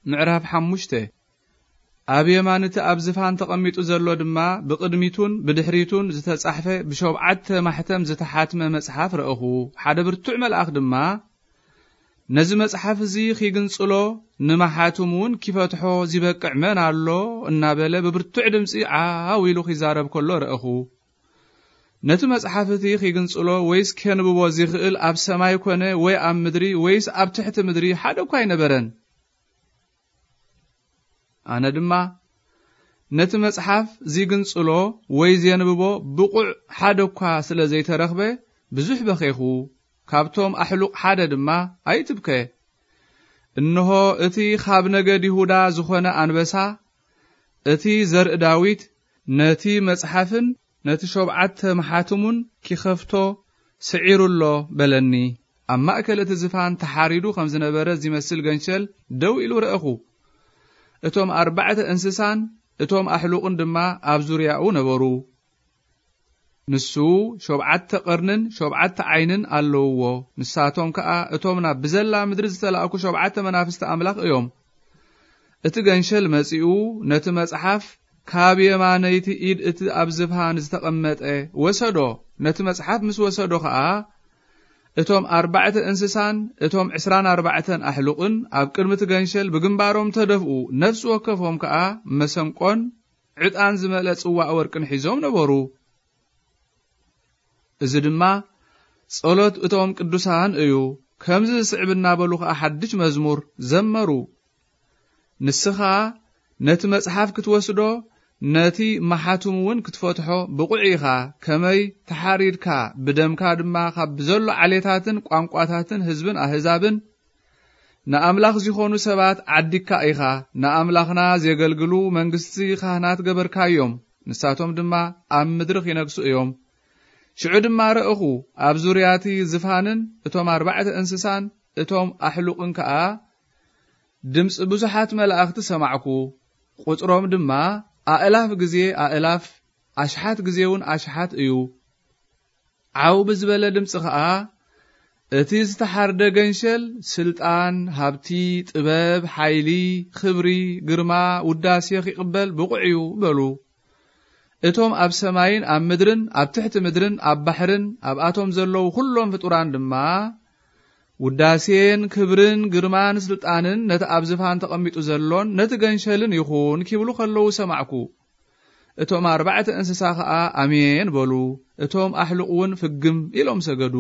ምዕራፍ ሓሙሽተ። ኣብ የማን እቲ ኣብ ዝፋን ተቐሚጡ ዘሎ ድማ ብቕድሚቱን ብድሕሪቱን ዝተጻሕፈ ብሸውዓተ ማሕተም ዝተሓትመ መጽሓፍ ረእኹ። ሓደ ብርቱዕ መልኣኽ ድማ፣ "ነዚ መጽሓፍ እዚ ኺግንጽሎ፣ ንመሓትሙ እውን ኪፈትሖ ዚበቅዕ መን ኣሎ?" እናበለ ብብርቱዕ ድምጺ ዓው ኢሉ ኺዛረብ ከሎ ረእኹ። ነቲ መጽሓፍ እቲ ኺግንጽሎ ወይስ ኬንብቦ ዚኽእል ኣብ ሰማይ ኰነ ወይ ኣብ ምድሪ ወይስ ኣብ ትሕቲ ምድሪ ሓደ እኳ ኣይነበረን። ኣነ ድማ፣ ነቲ መጽሓፍ ዚግንጽሎ ወይ ዜንብቦ ብቑዕ ሓደ እኳ ስለ ዘይተረኽበ፣ ብዙሕ በኼኹ። ካብቶም ኣሕሉቕ ሓደ ድማ፣ "ኣይትብከ። እንሆ፣ እቲ ኻብ ነገድ ይሁዳ ዝኾነ ኣንበሳ፣ እቲ ዘርኢ ዳዊት፣ ነቲ መጽሓፍን ነቲ ሸውዓተ መሓትሙን ኪኸፍቶ ስዒሩ ኣሎ" በለኒ። ኣብ ማእከል እቲ ዝፋን ተሓሪዱ ከም ዝነበረ ዚመስል ገንሸል ደው ኢሉ ረእኹ። እቶም ኣርባዕተ እንስሳን እቶም ኣሕሉቕን ድማ ኣብ ዙርያኡ ነበሩ። ንሱ ሸውዓተ ቀርንን ሸውዓተ ዓይንን ኣለውዎ። ንሳቶም ከኣ እቶም ናብ ብዘላ ምድሪ ዝተላእኩ ሸውዓተ መናፍስቲ ኣምላኽ እዮም። እቲ ገንሸል መጺኡ ነቲ መጽሓፍ ካብ የማነይቲ ኢድ እቲ ኣብ ዝፋን ዝተቐመጠ ወሰዶ። ነቲ መጽሓፍ ምስ ወሰዶ ኸኣ፣ እቶም ኣርባዕተ እንስሳን እቶም ዕስራን ኣርባዕተን ኣሕሉቕን ኣብ ቅድሚ እቲ ገንሸል ብግንባሮም ተደፍኡ። ነፍሲ ወከፎም ከኣ መሰንቆን ዕጣን ዝመልአ ጽዋእ ወርቅን ሒዞም ነበሩ። እዚ ድማ ጸሎት እቶም ቅዱሳን እዩ። ከምዚ ዝስዕብ እናበሉ ኸኣ ሓድሽ መዝሙር ዘመሩ። ንስኻ ነቲ መጽሓፍ ክትወስዶ፣ ነቲ መሓትሙ እውን ክትፈትሖ ብቑዕ ኢኻ። ከመይ ተሓሪድካ፣ ብደምካ ድማ ካብ ብዘሎ ዓሌታትን ቋንቋታትን ህዝብን ኣህዛብን ንኣምላኽ ዚኾኑ ሰባት ዓዲግካ ኢኻ። ንኣምላኽና ዜገልግሉ መንግስቲ ካህናት ገበርካዮም። ንሳቶም ድማ ኣብ ምድሪ ኺነግሱ እዮም። ሽዑ ድማ ረእኹ፣ ኣብ ዙርያ እቲ ዝፋንን እቶም ኣርባዕተ እንስሳን እቶም ኣሕሉቕን ከኣ ድምጺ ብዙሓት መላእኽቲ ሰማዕኩ። ቁጽሮም ድማ ኣእላፍ ግዜ ኣእላፍ፣ ኣሽሓት ግዜ እውን ኣሽሓት እዩ። ዓው ብዝበለ ድምጺ ኸኣ፣ "እቲ ዝተሓርደ ገንሸል ስልጣን፣ ሃብቲ፣ ጥበብ፣ ሓይሊ፣ ኽብሪ፣ ግርማ፣ ውዳሴ ኺቕበል ብቑዕ እዩ" በሉ። እቶም ኣብ ሰማይን ኣብ ምድርን ኣብ ትሕቲ ምድርን ኣብ ባሕርን ኣብኣቶም ዘለዉ ኹሎም ፍጡራን ድማ፣ "ውዳሴን ክብርን ግርማን ስልጣንን ነቲ ኣብ ዝፋን ተቐሚጡ ዘሎን ነቲ ገንሸልን ይኹን" ኪብሉ ኸለዉ ሰማዕኩ። እቶም ኣርባዕተ እንስሳ ኸኣ ኣሜን በሉ። እቶም ኣሕሉቕ እውን ፍግም ኢሎም ሰገዱ።